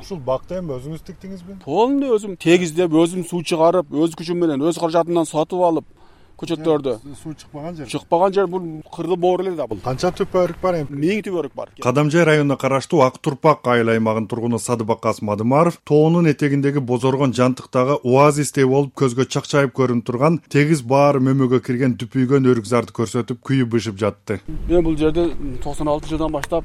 Ушул бакты эми өзүңүз тиктиңизби? Полный өзүм тегиздеп, өзүм суу чыгарып, өз күчүм менен, өз каражатымдан сатып алып көчөттөрдү. Суу чыкпаган жер. Чыкпаган жер бул кыргы боор эле да бул. Канча түпөрүк бар эми? 1000 түпөрүк бар. Кадамжай районуна караштуу Ак Турпак айыл аймагынын тургуну Садыбакас Мадымаров тоонун этегиндеги бозоргон жантыктагы оазистей болуп көзгө чакчайып көрүнүп турган тегиз баары мөмөгө кирген түпүйгөн өрүкзарды көрсөтүп күйүп бышып жатты. Мен бул жерде 96-жылдан баштап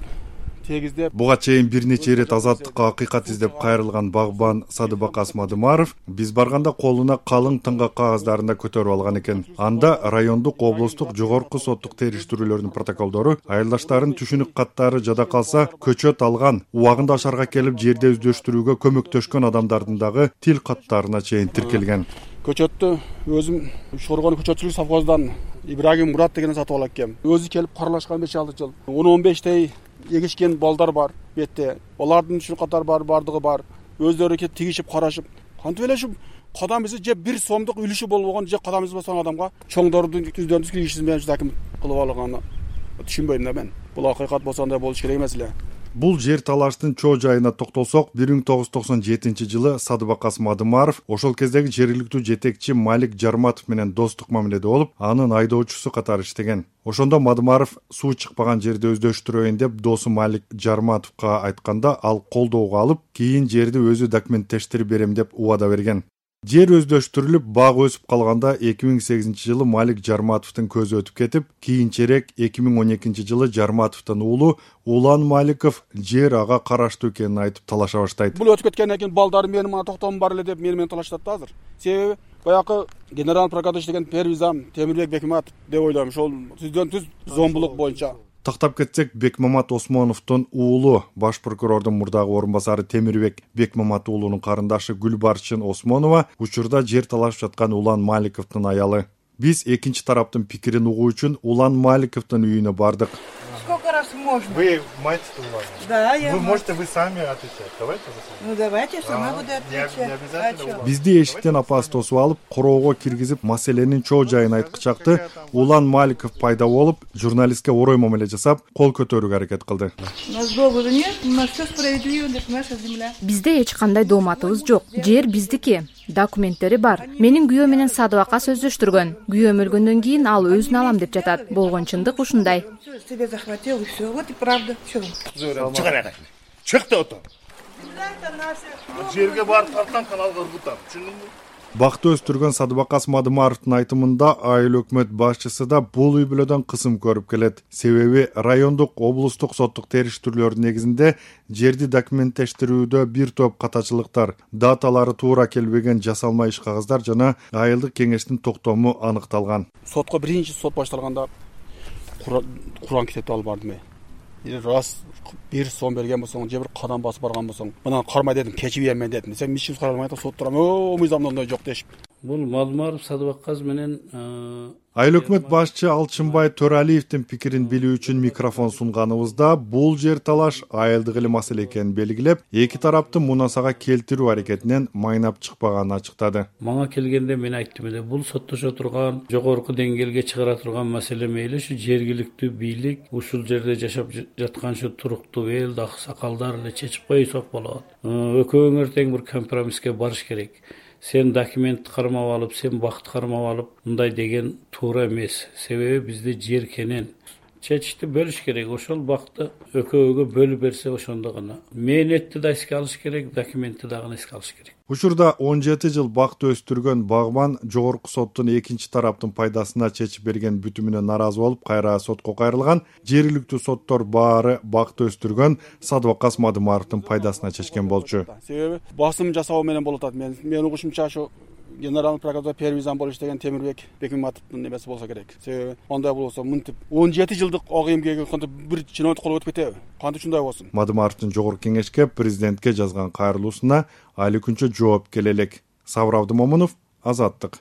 тегиздеп, буга чейин бир нече ирет азаттыкка акыйкат издеп кайрылган багбан Садыбакас Мадымаров биз барганда колуна калың тыңгак кагаздарын да көтөрүп алган экен. Анда райондук, облустук, жогорку соттук териштирүүлөрдүн протоколдору, айылдаштардын түшүнүк каттары жада калса көчөт алган, убагында шаарга келип жерде өздөштүрүүгө көмөктөшкөн адамдардын дагы тил каттарына чейин тиркелген. Көчөттү өзүм Шоргон көчөтчүлүк совхозунан Ибрагим Мурат дегенди сатып алып келгем. Өзү келип каралашкан 5-6 жыл. 10-15тей эгишкен балдар бар бетте. Олардын түшүнүк каттары бар, бардыгы бар. Өздөрү келип тигишип, карашып, кантип эле ушу кадамыбызды же 1 сомдук үлүшү болгон же кадамыбыз баскан адамга чоңдордун үздөрүн киргизишиз менен аким кылып алганы түшүнбөйм да мен. Бул акыйкат болсо андай болуш керек эмес эле. Бул жер талаштын чоо жайына токтолсок, 1997 жылы Садыбакас Мадымаров ошол кездеги жергиликтүү жетекчи Малик Жарматов менен достук мамиледе болуп, анын айдоочусу катары иштеген. Ошондо Мадымаров суу чыкпаган жерди өздөштүрөйүн деп досу Малик Жарматовго айтканда, ал колдоого алып, кийин жерди өзү документтештирип берем деп убада берген. Жер өздөштүрүлүп, баг өсүп калганда 2008 жылы Малик Жарматовдун көзү өтүп кетип, кийинчерээк 2012 жылы Жарматовдун уулу Улан Маликов жер ага караштуу экенин айтып талаша баштайт. Бул өтүп кеткенден кийин балдары менин мына токтомум бар эле деп мени талашат да азыр. Себеби баягы генерал прокурор деген первый зам Темирбек Бекмаматов деп ойлойм. Ошол түздөн түз зомбулук боюнча. Тактап кетсек, Бекмамат Осмоновдун уулу, баш прокурордун мурдагы орун басары Темирбек Бекмамат уулунун карындашы Гүлбарчын Осмонова учурда жер талашып жаткан Улан Маликовдун аялы. Биз экинчи тараптын пикирин угуу үчүн Улан Маликовдун үйүнө бардык. Сколько раз можно? Вы мать Улана? Да, я. Вы можете вы сами отвечать. Давайте вы сами. Ну давайте, сама буду отвечать. Не обязательно. Бизди эшиктен апасы тосуп алып, короого киргизип, маселенин чоо жайын айткычакты Улан Маликов пайда болуп, журналистке орой мамиле жасап, кол көтөрүүгө аракет кылды. У нас договора нет, у нас все справедливо, это наша земля. Бизде эч кандай дооматыбыз жок. Жер биздики. Документтери бар. Менин күйөө менен Садыбакас өздөштүргөн. Күйөөм өлгөндөн кийин ал өзүн алам деп жатат. Болгон чындык ушундай. Себе захватил и все. Вот и правда. Все. Чыгар. Чык да отур. Жерге барып тарткан каналга бутап, түшүндүңбү? Бакты өстүргөн Садыбакас Мадымаровдун айтымында айыл өкмөт башчысы да бул үй бүлөдөн кысым көрүп келет. Себеби райондук, облустук соттук териштирүүлөрдүн негизинде жерди документтештирүүдө бир топ катачылыктар, даталары туура келбеген жасалма иш кагаздар жана айылдык кеңештин токтому аныкталган. Сотко биринчи сот башталганда Куран китепти алып бардым. Раз 1 сом берген болсоң, же бир кадам басып барган болсоң, мына кармай дедим, кечип бермен дедим. Сен мишин каралмай да сот турам. Мыйзамда ондой жок дешип. Бул Мадымаров Садыбакас менен Айыл өкмөт башчы Алчынбай Төралиевдин пикирин билүү үчүн микрофон сунганыбызда бул жер талаш айылдык эле маселе экенин белгилеп, эки тараптын мунасага келтирүү аракетинен майнап чыкпаганын ачыктады. Мага келгенде мен айттым эле, бул соттошо турган, жогорку деңгээлге чыгара турган маселе мейли ушу жергиликтүү бийлик ушул жерде жашап жаткан ушу туруктуу эл, аксакалдар эле чечип койсок болот. Экөөңөр тең бир компромисске барыш керек. Сен документ кармап алып, сен бакты кармап алып, мындай деген туура эмес. Себеби бизде жер кенен. Чечишти бөлүш керек. Ошол бакты экөөгө бөлүп берсе ошондо гана. Мээнетти да эске алыш керек, документти дагы эске алыш керек. Учурда 17 жыл бакты өстүргөн багбан жогорку соттун экинчи тараптын пайдасына чечип берген бүтүмүнө наразы болуп, кайра сотко кайрылган. Жергиликтүү соттор баары бакты өстүргөн Садыбакас Мадымаровдун пайдасына чечкен болчу. Себеби басым жасоо менен болуп атат. Мен угушумча ошо генерал прокурор первый зам болуп иштеген Темирбек Бекмаматовдун немеси болсо керек. Себеби андай болсо мынтип 17 жылдык ак эмгеги кантип бир чиновник кол өтүп кетеби? Кантип ушундай болсун? Мадымаровдун жогорку кеңешке президентке жазган кайрылуусуна али күнчө жооп келе элек. Сабыр Абдымомунов, Азаттык.